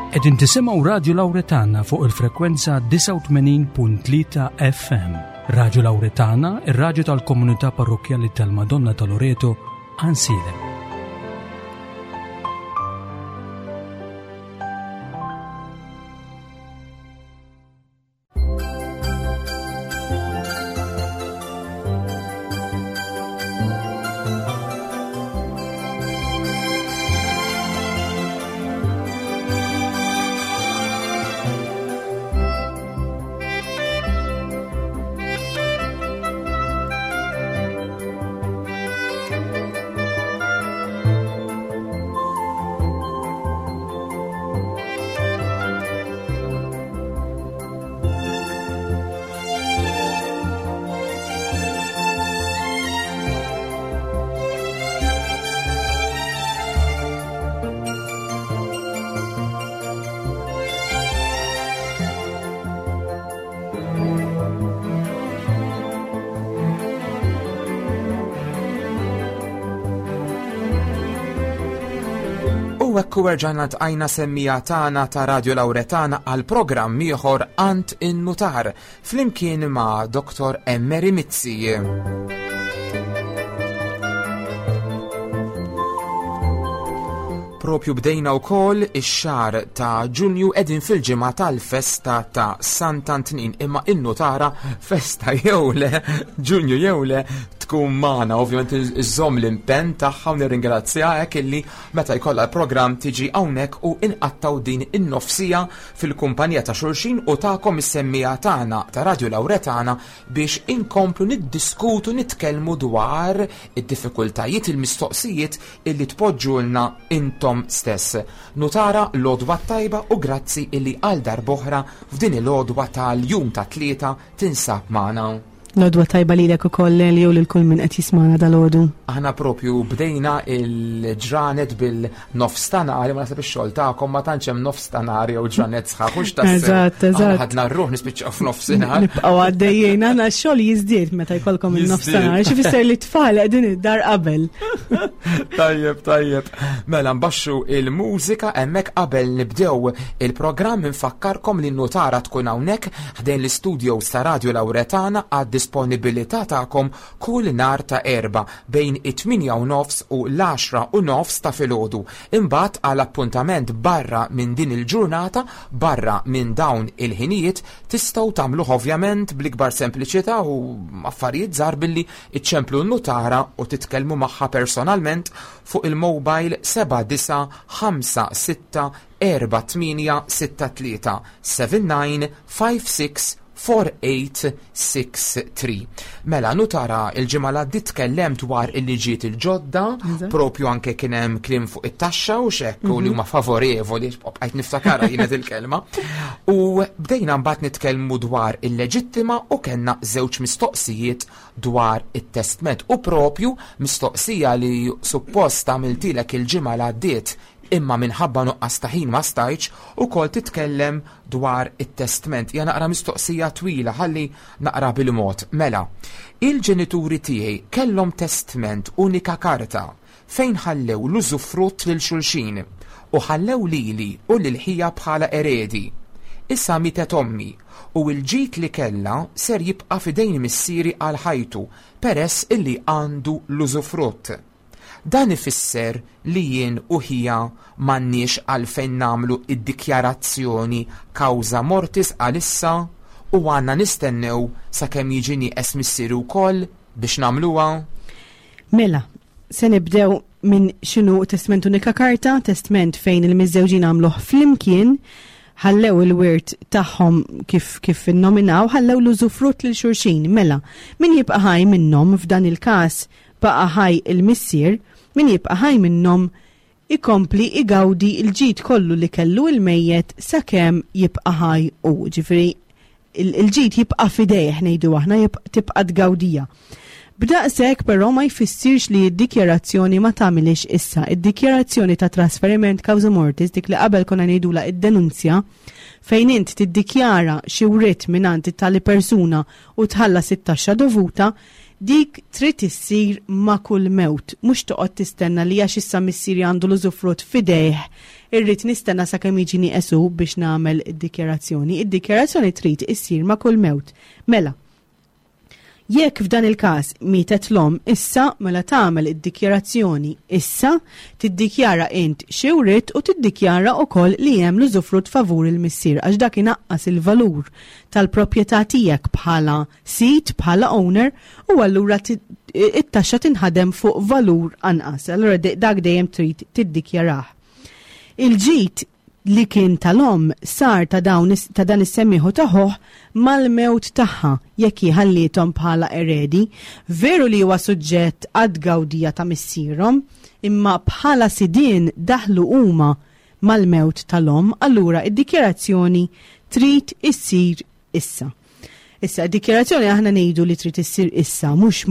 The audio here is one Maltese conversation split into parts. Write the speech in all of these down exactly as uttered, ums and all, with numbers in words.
Qegħdin tisimgħu Radio Lauretana fuq il-frekwenza disgħa u tmenin punt tlieta F M. Radio Lauretana, ir-radju tal-Komunità Parrokkjali tal-Madonna ta' Loreto, Għajnsielem. Ekku erġajna tqajna semmija tagħna ta' Radio Lauretana għal programm ieħor Għand in-Nutar flimkien ma' Doktor Emery Mizzi. Propju bdejna wkoll ix-xahar ta' Ġunju qegħdin fil-ġimgħa tal-festa ta' Sant'Antnin, imma in-nutara festa jew le, Ġunju jew le, tkun magħna. Ovvjament iżżomm l-impenn tagħha u nirringrazzjaha hekk illi meta jkollha l-programm tiġi hawnhekk u inqattaw din in-nofsija fil-kumpanija ta' xulxin u tagħkom is-semmija tagħna ta' Radio Lauretana biex inkomplu niddiskutu, nitkellmu dwar id-diffikultajiet, il-mistoqsijiet illi tpoġġulna intom stess. Nutara, l-għodwa tajba u grazzi illi għal darb'oħra f'din il-għodwa tal-jum ta' tlieta tinsab magħna. L-għodwa tajba lilek ukoll, Elio, lil kull min qed jismana dal-għodu. Aħna propju bdejna il-ġranet bil-nofs ta' nhar, ma naħseb ix-xogħol tagħkom ma tantx hemm nofs ta' nhar jew ġranet sħaħ, hux tassew. Eżatt, eżatt. Aħna ħadna r-ruħ nispiċċaw f'nofsinhar. Nibqgħu għaddejjin, aħna x-xogħol jiżdied meta jkollkom il-nofs ta' nhar, xi fisser li t-tfal qegħdin id-dar qabel. Tajjeb, tajjeb. Mela nbaxxu il-mużika hemmhekk qabel nibdew il-programm. Infakkarkom li n-nutara tkun hawnhekk ħdejn l-istudios ta' Radio Lauretana għad disponibilità tagħkom kull nhar ta' Erbgħa bejn it-tmienja u nofs u l-għaxra u nofs ta' filgħodu. Imbagħad għal appuntament barra minn din il-ġurnata, barra minn dawn il-ħinijiet, tistgħu tagħmluh ovvjament bl-ikbar sempliċità u affarijiet żgħar billi iċċemplu n-nutara u titkellmu magħha personalment fuq il-mobile seba' disa' ħamsa sitta erba' tmienja sitta tlieta seven nine five six four eight six three. Mela, nutara, il-ġimgħa li għaddiet tkellem dwar il-liġijiet il-ġodda, Eżatt. propju anke kien hemm kliem fuq it-taxxa u x'hekk, u li Mhm. huma favorevoli, bqajt niftakarha jiena il-kelma. U bdejna mbagħad nitkellmu dwar il-leġittima u kellna żewġ mistoqsijiet dwar it-testment, u propju mistoqsija li suppost għamiltilek il-ġimgħa li għaddiet imma minħabba nuqqas ta' ħin ma stajtx, ukoll titkellem dwar it-testment. Ja naqra mistoqsija twila, ħalli naqra bil-mod. Mela, il-ġenituri tiegħi kellhom testment unika karta fejn ħallew l-użufrutt lil xulxin u ħallew lili u lil ħija bħala eredi. Issa mietet ommi u l-ġid li kellha ser jibqa' f'idejn missieri għal ħajtu peress illi għandu l-użufrutt. Dan ifisser li jien u ħija m'għandniex għalfejn nagħmlu id-dikjarazzjoni causa mortis għalissa u għandna nistennew sakemm jiġi nieqes missieri wkoll biex nagħmluha? Mela, se nibdew minn x'inhu testment unika karta, testment fejn il-miżżewġin għamluh flimkien, ħallew il-wirt tagħhom kif, kif innominaw, ħallew l-użufrutt lil xulxin. Mela, min jibqa' ħaj minnhom f'dan il-każ baqa' ħaj il-missier, min jibqa' ħaj minnhom ikompli igawdi il-ġid kollu li kellu il-mejjet sakemm jibqa' ħaj u. Ġifieri il-, il-ġid jibqa' fidejh, ngħidu aħna, jib-, tibqa' tgawdija. B'daqshekk però ma jfissirx li d-dikjarazzjoni ma tagħmilix issa. Id-dikjarazzjoni ta' trasferiment causa mortis, dik li qabel konna ngħidula id-denunzja, fejn int tiddikjara xi writ mingħand it-tali persuna u tħallas it-taxxa dovuta, Dik trid issir ma' kull mewt, mhux toqgħod tistenna li għax issa missieri għandu l-użufrutt f'idejh, irrid nistenna sakemm jiġi nieqesu biex nagħmel id-dikjarazzjoni. Id-dikjarazzjoni trid issir ma' kull mewt. Mela, jekk f'dan il-każ mietet l-omm issa, mela tagħmel id-dikjarazzjoni issa, tiddikjara int xi writ u tiddikjara wkoll li hemm l-użufrutt favur il-missier, għax dak inaqqas il-valur tal-proprjetà tiegħek bħala sid, bħala owner, u allura it-taxxa tinħadem fuq valur anqas. Allura dak dejjem trid tiddikjarah. Il-ġid li kien tal-omm sar ta' dawn ta' dan is-semmiħu taħoh mal-mewt tagħha jekk ħallithom bħala eredi. Veru li huwa suġġett għad-gawdija ta' missierhom, imma bħala sidien daħlu huma mal-mewt tal-omm, allura id-dikjarazzjoni trid issir issa. Issa, dikjarazzjoni aħna ngħidu li trid issir issa, mhux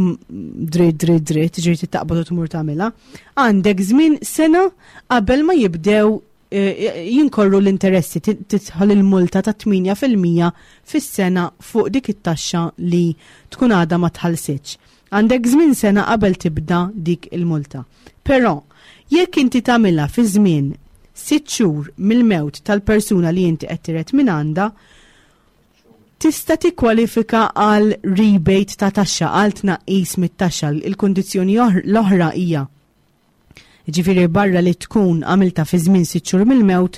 dritt dritt dritt, ġifieri taqbad u tmur tagħmilha. Għandek żmien sena qabel ma jibdew jinkorru l-interessi, tidħol il-multa ta' tmienja fil-mija fis-sena fuq dik it-taxxa li tkun għadha ma tħallsitx. Għandek żmien sena qabel tibda dik il-multa. Però, jekk inti tagħmilha fi żmien sitt xhur mill-mewt tal-persuna li inti qed tiret minn għandha, tista' tikkwalifika għal rebate ta' taxxa, għal tnaqqis mit-taxxa. Il-kundizzjoni l-oħra hija, ġifieri barra li tkun għamilta fi żmien sitt xhur mill-mewt,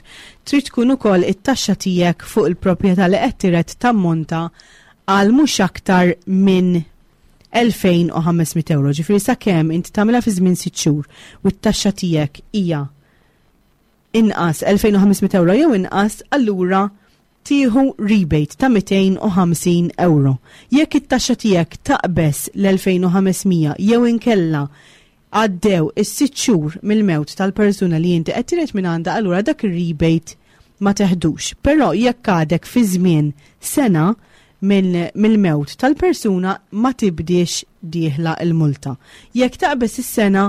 trid tkun ukoll it-taxxa tiegħek fuq il-proprjetà li qed tiret tammonta għal mhux aktar minn elfejn u ħames mitt euro. Ġifieri sakemm inti tagħmilha fi żmien sitt xhur u t-taxxa tiegħek hija inqas elfejn u ħames mitt euro jew inqas, allura tieħu rebate ta' mitejn u ħamsin euro. Jekk it-taxxa tiegħek taqbeż l-elfejn u ħames mija jew inkella għaddew is-sitt xhur mill-mewt tal-persuna li inti qed tiret minn għandha, allura dak ir-rebate ma teħdux. Però jekk għadek fi żmien sena mill-mewt tal-persuna, ma tibdiex dieħla il-multa. Jekk taqbeż is-sena,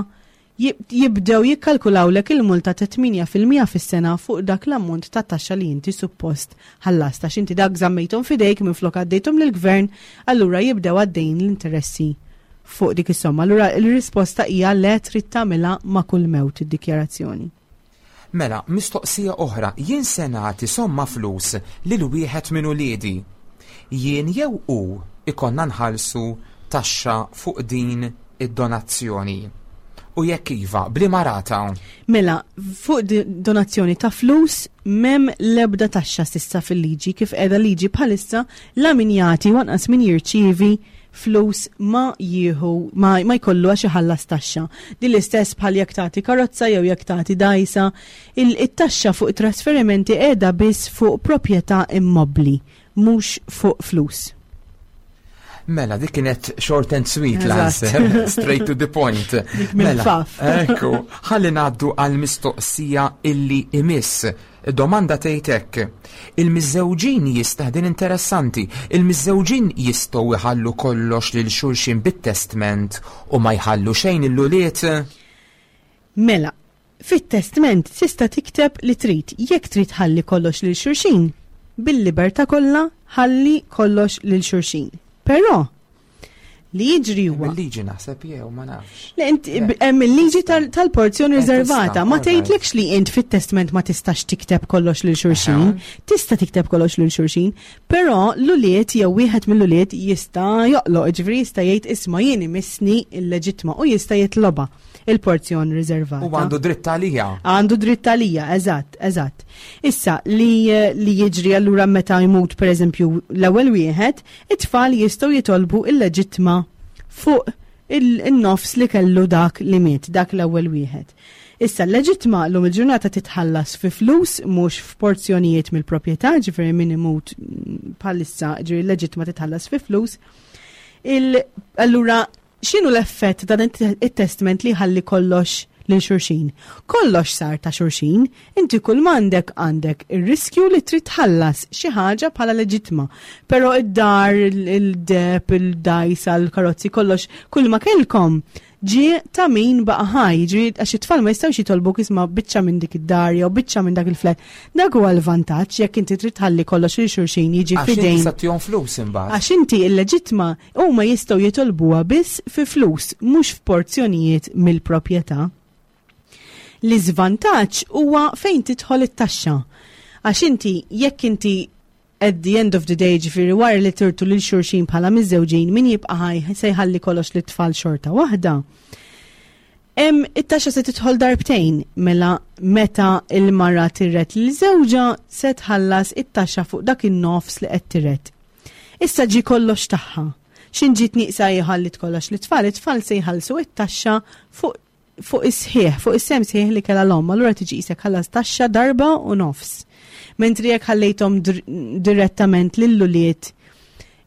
jibdew jikkalkulawlek il-multa ta' tmienja fil-mija fis-sena fuq dak l-ammont ta' taxxa li inti suppost ħallast. Għax inti dak żammejthom fidejk minn flok għaddejthom lill-gvern, allura jibdew għaddejn l-interessi fuq dik is-somma. Allura il-risposta hija le, trid tagħmilha ma' kull mewt id-dikjarazzjoni. Mela, mistoqsija oħra: jien se nagħti somma flus lil wieħed minn uliedi. Jien jew hu ikollna nħallsu taxxa fuq din id-donazzjoni? U jekk iva, b'liema rata? Mela, fuq donazzjoni ta' flus m'hemm lebda taxxa s'issa fil-liġi. Kif qiegħda liġi bħalissa, la min jagħti u anqas min jirċievi flus ma jieħu ma, ma jkollu għax iħallas taxxa. Din l-istess bħal jekk tagħti karozza jew jekk tagħti dgħajsa, il-taxxa fuq trasferimenti qiegħda biss fuq proprjetà immobbli, mhux fuq flus. Mela, dik kienet short and sweet l-answer, straight to the point. Mela, ekku, ħalli ngħaddu għal mistoqsija illi imiss. Domanda tgħidlek, il-miżżewġin jista' din interessanti, il-miżżewġin jistgħu jħallu kollox lil xulxin bit-testment u ma jħallu xejn lill-ulied? Mela, fit-testment tista' tikteb li trid. Jekk trid ħalli kollox lil xulxin, bil-libertà kollha ħalli kollox lil xulxin. Però li jiġri huwa. Il-liġi naħseb jew ma nafx. Le, inti hemm il-liġi tal-porzjoni riservata, ma tgħidlekx li int fit-testment ma tistax tikteb kollox lil xulxin. Tista' tikteb kollox lil xulxin, però l-ulied jew wieħed mill-ulied jista' joqloq, ġifieri jista' jgħid, "Isma', jien imissni il-leġitma", u jista' jitloba il-porzjon riservata. U għandu dritt għalija. Għandu dritt għalija, eżatt, eżatt. Issa, li, li jiġri allura meta jmut, per eżempju, l-ewwel wieħed, it-tfal jistgħu jitolbu il-leġitma fuq il-nofs li kellu dak li miet, dak l-ewwel wieħed. Issa, l-leġitma l-lum il-ġurnata titħallas fi flus, mhux f'porzjonijiet mill-proprjetà, ġifieri min imut bħalissa, ġifieri l-leġitma titħallas fi flus. Allura, x'inhu l-effett ta' dan it-testament li ħalli kollox lil xulxin? Kollox sar ta' xulxin, inti kull m'għandek, għandek ir-riskju li trid tħallas xi ħaġa bħala leġitma. Però id-dar, il-deheb, il-dgħajsa, l-karozzi, kollox, kull ma kellkom Ġie ta' min baqa' ħaj, ġie għax it-tfal ma jistgħux jitolbuk, isma', biċċa minn dik id-dar jew biċċa minn dak il-flat. Dak huwa l-vantaġġ jekk inti trid tħalli kollox lil xulxin jiġi Għax inti fidejn. sa ttihom flus imbagħad. Għax inti il-leġitma huma jistgħu jitolbuha biss fi flus, mhux f'porzjonijiet mill-proprjetà. L-iżvantaġġ huwa fejn tidħol it-taxxa. Għax inti jekk inti at the end of the day, ġifieri wara li tirtu lil xulxin bħala miżżewġin, min jibqa' ħaj se jħalli kollox lit-tfal xorta waħda. Em, it-taxxa se tidħol darbtejn, mela meta il-mara tiret lil żewġha se tħallas it-taxxa fuq dak in-nofs li qed tiret. Issa ġi kollox tagħha. X'in ġiet nieqsa jħallit kollox lit-tfal, it-tfal se jħallsu it-taxxa fuq fuq is-sħiħ, fuq is-sehem sħiħ li kellha l-omm, allura tiġi qisek ħallas taxxa darba u nofs. Mentri jekk ħallejthom dir- direttament lill-ulied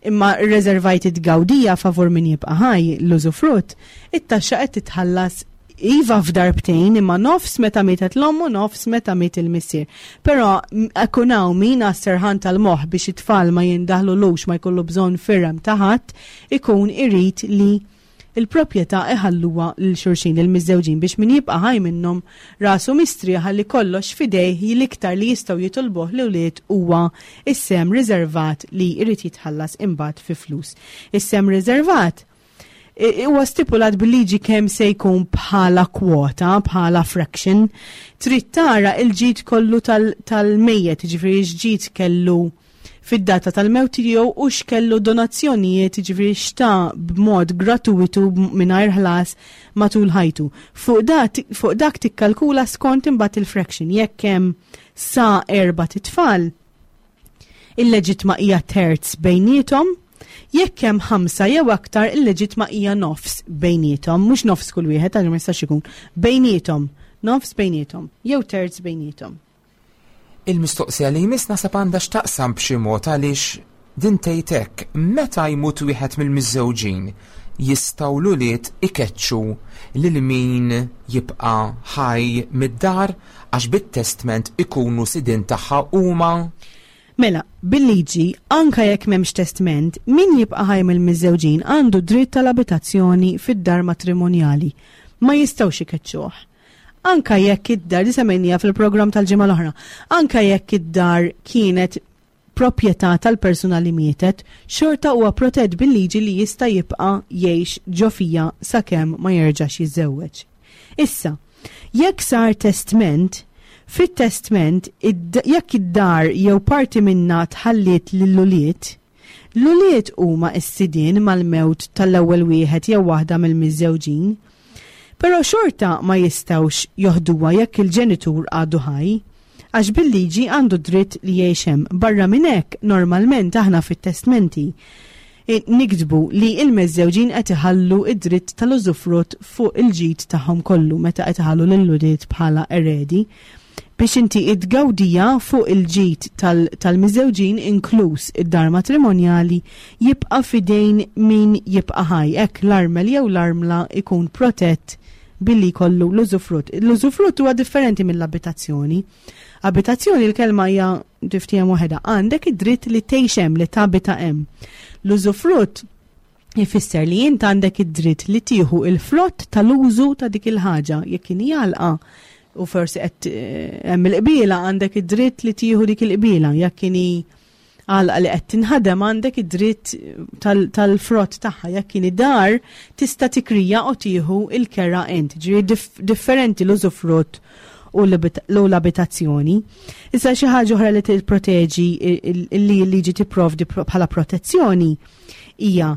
imma rreservajt it-tgawdija favur min jibqa' ħaj, l-użufrutt, it-taxxa qed titħallas iva f'darbtejn, imma nofs meta mietet l-omm u nofs meta miet il-missier. Però ikun hawn min għas-serħan tal-moħħ biex it-tfal ma jindaħlulux, ma jkollu bżonn firem ta' ħadd, ikun irid li il-proprjetà iħalluha lil xulxin, il-miżżewġin, biex min jibqa' ħaj minnhom rasu mistrieħa li kollox fidejh, l-iktar li jistgħu jitolbuh l-ulied huwa is-sehem riservat li jrid jitħallas imbagħad fi flus. Is-sehem riservat i- huwa stipulat bil-liġi kemm se jkun bħala kwota, bħala fraction. Trid tara il-ġid kollu tal- tal-mejjet, ġifieri x'ġid kellu fid-data tal-mewt tiegħu u x'kellu donazzjonijiet, ġifieri x'ta b'mod gratuitu mingħajr ħlas matul ħajtu. Fuq dak fuq dak tikkalkula skont imbagħad il-fraction. Jekk hemm sa erba' titfal, il-leġitma hija terz bejniethom, jekk hemm ħamsa jew aktar, il-leġitma hija nofs bejniethom, mhux nofs kull wieħed għax ma jistax ikun, bejniethom, nofs bejniethom, jew terz bejniethom. Il-mistoqsija li jmiss nasab għandha x'taqsam b'xi mod, għaliex din tgħid hekk: meta jmut wieħed mill-miżżewġin, jistgħu l-ulied ikeċċu lil min jibqa' ħaj mid-dar għax bit-testment ikunu sidin tagħha huma? Mela, bil-liġi, anka jekk m'hemmx testment, min jibqa' ħaj mill-miżżewġin għandu dritt tal-abitazzjoni fid-dar matrimonjali. Ma jistgħux ikeċċuh. Anka jekk id-dar, li semmejnija fil-programm tal-ġimgħa l-oħra, anka jekk id-dar kienet proprjetà tal-persuna li mietet, xorta huwa protett bil-liġi li jista' jibqa' jgħix ġo fiha sakemm ma jerġax jiżżewweġ. Issa, jekk sar testment, fit-testment id- jekk id-dar jew parti minna tħalliet lill-ulied, l-ulied huma s-sidien mal-mewt tal-ewwel wieħed jew waħda mill-miżżewġin. Però xorta ma jistgħux joħduha jekk il-ġenitur għadu ħaj, għax bil-liġi għandu dritt li jgħix hemm. Barra minn hekk, normalment aħna fit-testmenti eh, niktbu li il-miżżewġin qed iħallu id-dritt tal-użufrutt fuq il-ġid tagħhom kollu meta qed iħallu lill-ulied bħala eredi, biex inti id-gawdija fuq il-ġid tal-miżżewġin, inkluż id-dar matrimonjali, jibqa' fidejn min jibqa' ħaj. Hekk l-armel jew l-armla ikun protett billi kollu l-użufrutt. L-użufrutt huwa differenti mill-abitazzjoni. Abitazzjoni, l-kelma hija tiftiehem waħedha, għandek id-dritt li tgħix hemm, li tabita hemm. L-użufrutt ifisser li int għandek id-dritt li tieħu il-frott tal-użu ta' dik il-ħaġa. Jekk inhi għalqa u forsi qed eh, hemm il-qbiela, għandek id-dritt li tieħu dik il-qbiela. Jekk inhi għalqa li qed tinħadem, għandek id-dritt tal-frott tagħha. Jekk inhi dar, tista' tikrija u tieħu il-kera int. Ġifieri differenti l-użufrutt u l-abitazzjoni. Issa, xi ħaġa oħra li tipproteġi, li l-liġi tipprovdi bħala protezzjoni, hija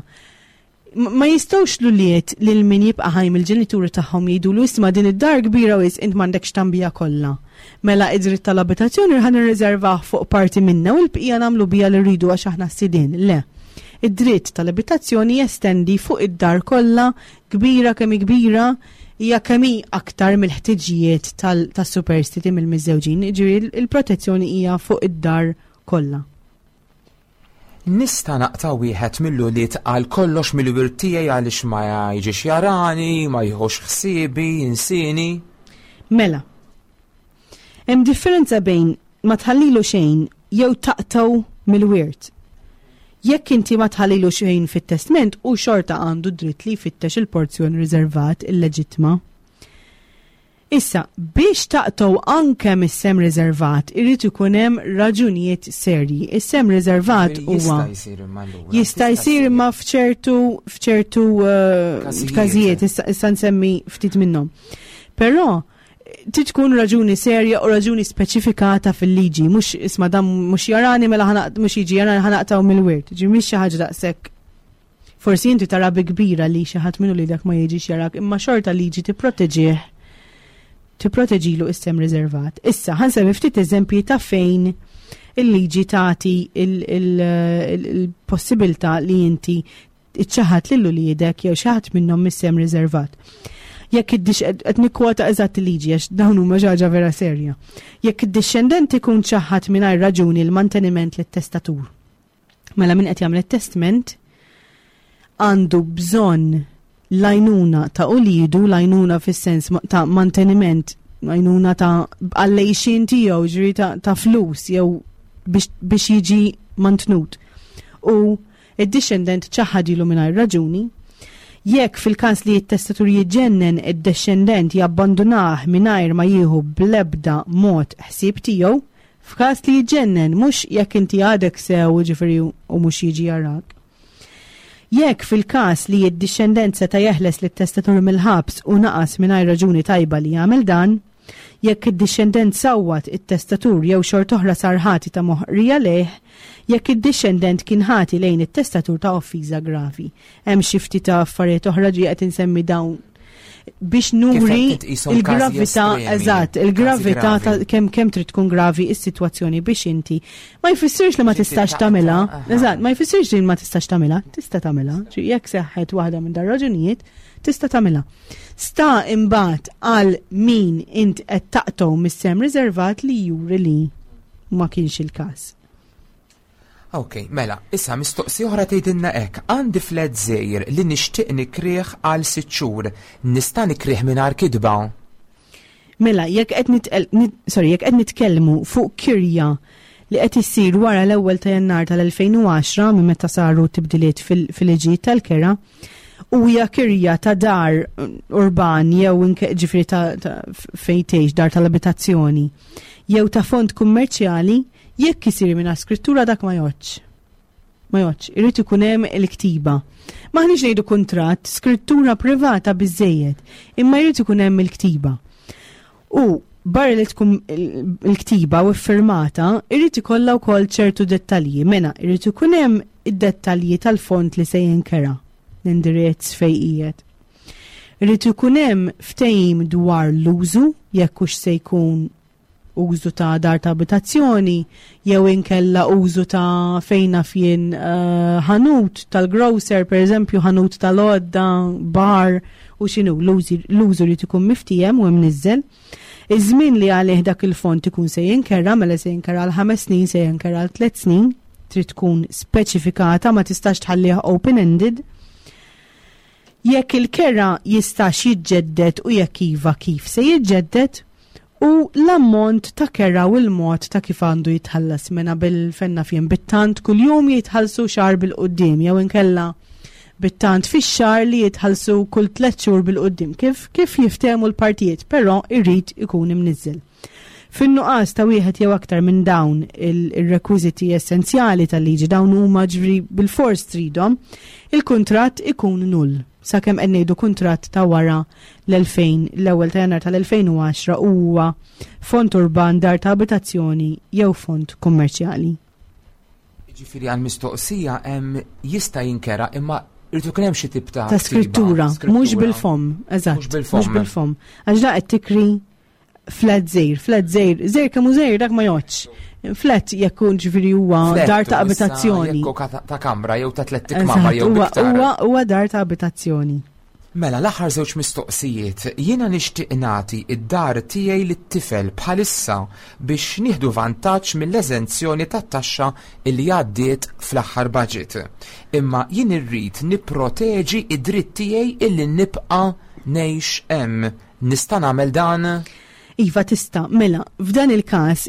ma jistgħux l-ulied lil min jibqa' ħaj mill-ġenituri tagħhom jgħidulu, "Isma', din id-dar kbira wis, int m'għandekx tambija kollha. Mela id-dritt tal-abitazzjoni ħa nirriservah fuq parti minna u l-bqija nagħmlu bija li rridu għax aħna sidien." Le. Id-dritt tal-abitazzjoni jestendi fuq id-dar kollha, kbira kemm kbira, hija kemm hi aktar mill-ħtiġijiet tas-superstiti mill-miżżewġin, ġifieri il-protezzjoni hija fuq id-dar kollha. Nista' naqta' wieħed mill-ulied għal kollox mill-wirt tiegħi għaliex ma jiġix jarani, ma jieħux ħsiebi, jinsini? Mela. Hemm differenza bejn ma tħallilu xejn jew taqtgħu mill-wirt. Jekk inti ma tħallilu xejn fit-testment, u xorta għandu dritt li jfittex il-porzjon riservat, il-leġitma. Issa, biex taqtgħu anke mis-sem riservat, irid ikun hemm raġunijiet serji. Is-sem riservat huwa Jista' jsir imma allura. Jista' jsir imma f'ċertu f'ċertu uh, Każijiet. każijiet, issa issa nsemmi ftit minnhom. Però trid tkun raġuni serja u raġuni speċifikata fil-liġi, mhux isma' dan mhux jarani mela ħa naq- mhux jiġi jarani ħa naqtgħu mill-wirt. Ġi mhix xi ħaġa daqshekk. Forsi inti tara bi kbira li xi ħadd minnu li dak ma jiġix jarak, imma xorta liġi tipproteġih tipproteġilu is-sem riservat. Issa, ħa nsemmi ftit eżempji ta' fejn il-liġi tagħti il-possibilità li inti iċċaħat lil uliedek jew xi ħadd minnhom mis-sem riservat. Jekk id qed nikkwota eżatt il-liġi għax dawn huma xi ħaġa vera serja. Jekk id-dixxendent ikun ċaħat mingħajr raġuni l-manteniment lit-testatur. Mela min qed jagħmel it-testament għandu bżonn l-għajnuna ta' ulidu, l-għajnuna fis-sens ma- ta' manteniment, l-għajnuna ta' għall-għajxien tiegħu, ġifieri ta', ta' flus jew biex, biex jiġi mantnut. U id-dixxendent ċaħadilu mingħajr raġuni, jekk fil-każ li t-testatur jiġġennen, id-dixxendent jabbandunah mingħajr ma jieħu blebda mod ħsieb tiegħu, f'każ li jiġġennen, mhux jekk inti għadek sew, ġifieri, u mhux jiġi jarak. Jekk fil-każ li d-dixxendent seta' jeħles lit-testatur mill-ħabs u naqas mingħajr raġuni tajba li jagħmel dan, jekk id-dixxendent sawwat it-testatur jew xorta oħra sar ħati ta' moħqrija lejh, jekk id-dixxendent kien ħati lejn it-testatur ta' offiża gravi. Hemm xi ftit ta' affarijiet oħra, ġi qed insemmi dawn biex nuri qed tqishom każi il-gravità, estremi, eżatt, każi il-gravità ta' gravi. kemm kemm trid tkun gravi is-sitwazzjoni biex inti ma jfissirx li ma Biex inti tistax taqta', tagħmilha. aha. Eżatt, ma jfissirx li ma tistax tagħmilha, tista' tagħmilha. Ġi jekk seħħet waħda minn dar raġunijiet, tista' tagħmilha. Sta imbagħad għal min int qed taqtgħu mis-sem riservat li juri li ma kienx il-każ. Ok, mela, issa mistoqsi oħra tgħidilna hekk: għandi flat żgħir li nixtieq nikrih għal sitt xhur. Nista' nikrih mingħajr kitba? Mela, jekk qed nitqel, nit, sorry, jekk qed nitkellmu fuq kirja li qed issir wara l-ewwel ta' Jannar tal-elfejn u għaxra, minn meta saru tibdiliet fil-liġi tal-kera, u hija kirja ta' dar urban jew inke ġifieri ta', ta fejn tgħix, dar tal-abitazzjoni jew ta' fond kummerċjali, jekk isir minn skrittura dak ma jgħoddx. Ma jgħoddx, irid ikun hemm il-ktiba. Maħniex ngħidu kuntratt, skrittura privata biżejjed, imma jrid ikun hemm il-ktiba. U barra li tkun il-ktiba u firmata, irid ikollha wkoll ċertu dettalji. Mela, irid ikun hemm id-dettalji tal-fond li se jinkera, l-indirizz fejn qiegħed. Irid ikun hemm ftehim dwar l-użu, jekk hux se jkun użu ta' dar ta' abitazzjoni, jew inkella użu ta' fejna fien eh, ħanut tal-grocer, per eżempju, ħanut tal-għodda, bar, u x'inhu, l-użu li ikun miftiehem u mniżżel. Iż-żmien li għalih dak il-fond ikun se jinkera, mela se jinkera għal ħames snin, se jinkera għal tliet snin, trid tkun speċifikata, ma tistax tħallih open-ended. Jekk il-kera jistax jiġġedded u jekk iva kif se jiġġedded, u l-ammont ta' kera u l-mod ta' kif għandu jitħallas, mena bil-fenna fien bit-tant kull-jum jitħallsu xahar bil-quddiem jew inkella bit-tant fix-xahar li jitħallsu kull tliet xhur bil-quddiem, kif kif jiftehmu l-partijiet, però irrid ikun imniżżel. Fin-nuqqas ta' wieħed jew aktar minn dawn il-rekwiżiti essenzjali tal-liġi, dawn huma ġifieri bil-fors tridhom, il-kuntratt ikun null. Sakemm qed ngħidu kuntratt ta' wara l-elfejn, l-ewwel ta' Jannar tal-elfejn u għaxra, huwa fond urban, dar ta' abitazzjoni jew fond kummerċjali. Ġifieri għal mistoqsija hemm jista' jinkera imma irid ikun hemm xi tip ta' Ta' skrittura, mhux bil-fom, eżatt. Mhux bil-fom. Mhux bil-fom. Għax da qed tikri flat żgħir, flat żgħir, żgħir kemm hu żgħir dak ma jgħoddx. Flat jekk ġifieri huwa dar ta' abitazzjoni. Jekk ta' kamra jew ta' tliet kmamar jew iktar. Huwa huwa dar ta' abitazzjoni. Mela, l-aħħar żewġ mistoqsijiet: jiena nixtieq nagħti id-dar tiegħi lit-tifel bħalissa biex nieħdu vantaġġ mill-eżenzjoni tat-taxxa li għaddiet fl-aħħar budget. Imma jien irrid nipproteġi id-dritt tiegħi illi nibqa' ngħix hemm. Nista' nagħmel dan? Iva tista, mela, f'dan il-każ,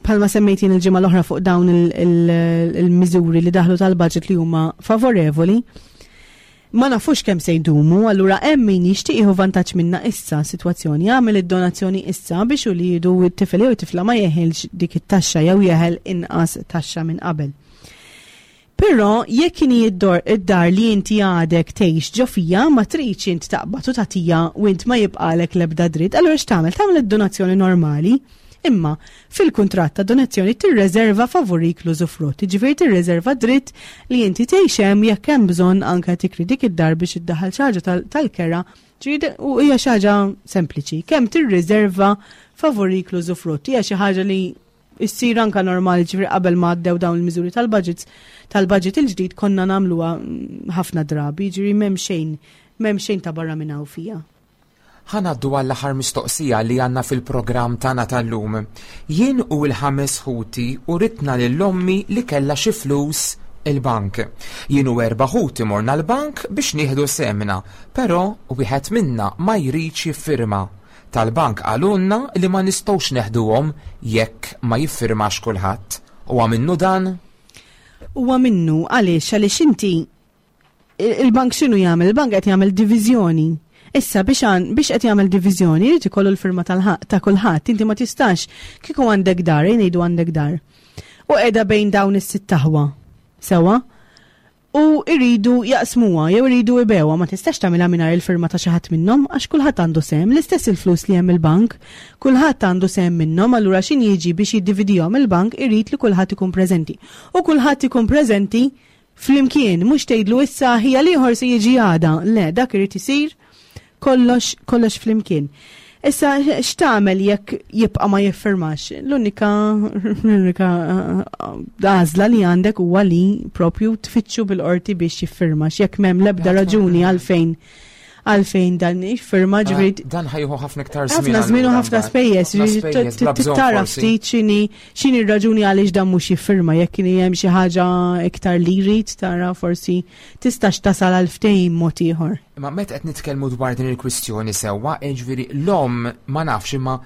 bħalma semmejt jien il-ġimgħa l-oħra fuq dawn il-miżuri li daħlu tal-budget li huma favorevoli, ma nafux kemm se jdumu, allura hemm min jixtieq jieħu vantaġġ minna issa sitwazzjoni, jagħmel id-donazzjoni issa biex uliedu t-tifel jew it-tifla ma jeħilx dik it-taxxa jew jeħel inqas taxxa minn qabel. Però jekk inhi id-dar li inti għadek tgħix ġo fija ma tridx int taqbad u tagħtija u int ma jibqalek l-ebda dritt, allura x'tagħmel? Tagħmel id-donazzjoni normali, imma fil-kuntratt ta' donazzjoni tirreserva favorik l-użufrutt, jiġifieri tirreserva dritt li inti tgħix hemm jekk hemm bżonn anke tikri dik id-dar biex iddaħħal xi ħaġa tal-kera, u hija xi ħaġa sempliċi. Kemm tirriserva favorik l-użufrutt hija xi ħaġa li issir anka normali, ġifieri qabel ma għaddew dawn il-miżuri tal-budgets, tal-budget il-ġdid konna nagħmluha ħafna drabi, ġifieri m'hemm xejn, m'hemm xejn ta' barra minn hawn fija. Ħa ngħaddu għall-aħħar mistoqsija li għandna fil-programm tagħna tal-lum. Jien u l-ħames ħuti uritna lil ommi li kellha xi flus il-bank. Jien u erba' ħuti morna l-bank biex nieħdu sehemna, però wieħed minna ma jridx jiffirma. Tal-bank qalulna li ma nistgħux neħduhom jekk ma jiffirmax kulħadd. Huwa minnu dan? Huwa minnu għaliex għaliex inti il-bank x'inhu jagħmel? Il-bank qed jagħmel diviżjoni. Issa biex biex qed jagħmel diviżjoni jrid ikollu l-firma ta' kulħadd. Inti ma tistax kieku għandek dar, ngħidu għandek dar. U qiegħda bejn dawn is-sitt aħwa. Sewa? U iridu jaqsmuha jew iridu ibewha, ma tistax tagħmilha mingħajr il-firma ta' xi ħadd minnhom għax kulħadd għandu sehem, l-istess il-flus li hemm il-bank, kulħadd għandu sehem minnhom, allura x'in jiġi biex jiddividihom il-bank irid li kulħadd ikun preżenti. U kulħadd ikun preżenti flimkien, mhux tgħidlu issa ħija l-ieħor se jiġi għada, le, dak irid isir kollox kollox flimkien. Issa x'tagħmel jekk jibqa' ma jiffirmax? L-unika l-unika għażla li għandek huwa li propju tfittxu bil-qorti biex jiffirmax jekk m'hemm l-ebda raġuni għalfejn għalfejn dan jiffirma, ġifieri Dan ħa jieħu ħafna iktar żmien. Ħafna żmien u ħafna spejjeż, tara ftit x'inhi x'inhi r-raġuni għaliex dan mhux jiffirma, jekk kien hemm xi ħaġa iktar li jrid tara forsi tistax tasal għal ftehim mod ieħor. Imma meta qed nitkellmu dwar din il-kwistjoni sewwa, jiġifieri l-omm ma nafx imma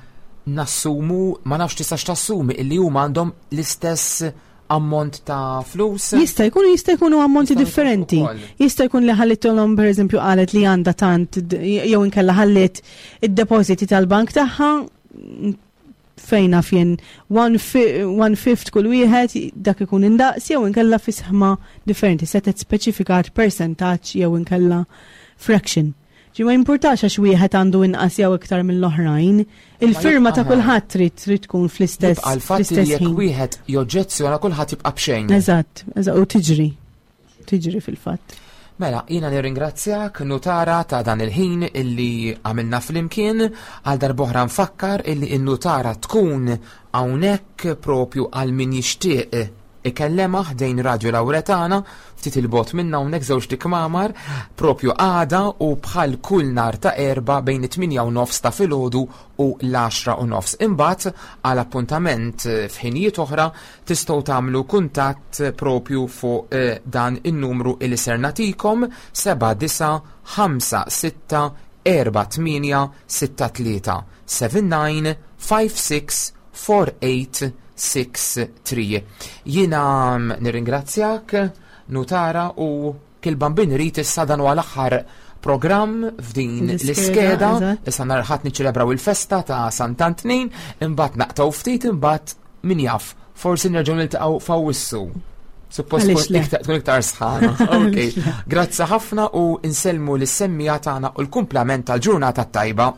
nassumu, ma nafx tistax tassumi illi huma għandhom l-istess ammont ta' flus? Jista' jkunu jista' jkunu ammonti differenti. Jista' jkun li ħallithom pereżempju qalet li għandha tant jew inkella ħallit id-depożiti tal-bank tagħha fejn naf jien one fifth kull wieħed dak ikun indaqs jew inkella fi sħma differenti, setet speċifikat percentaġġ jew inkella fraction. Ġi ma jimpurtax għax wieħed għandu inqas jew iktar mill-oħrajn, il-firma ta' kulħadd trid trid tkun fl-istess. Għal fatt li jekk wieħed joġġezzjona kulħadd jibqa' b'xejn. Eżatt, eżatt, u tiġri. Tiġri fil-fatt. Mela, jiena nirringrazzjak nutara ta' dan il-ħin illi għamilna flimkien, għal darb'oħra nfakkar illi n-nutara tkun hawnhekk propju għal min jixtieq ikellema ħdejn Radio Lauretana, ftit il-bot minna hawnhekk żewġ tikmamar, propju għada u bħal kull nar ta' erba' bejn it-tmienja u nofs ta' filgħodu u l-għaxra u nofs. Imbagħad għal appuntament f'ħinijiet oħra tistgħu tagħmlu kuntatt propju fuq eh, dan in-numru li ser nagħtikom seba' disa' ħamsa sitta erba' tmienja sitta tlieta seven nine five six four eight six three. Jiena nirringrazzjak, nutara, u kull bambin irid issa dan huwa l-aħħar programm f'din L-iskeda, l-iskeda. eżatt. Issa nhar Ħadd niċċelebraw il-festa ta' Sant'Antnin, imbagħad naqtaw ftit, imbagħad min jaf, forsi nerġgħu niltaqgħu f'Awwissu. Suppost Għaliex tkun le? iktar, tkun iktar sħana. Ok, grazzi ħafna u insellmu lis-semmiegħa tagħna u l-kumplament tal-ġurnata tajba.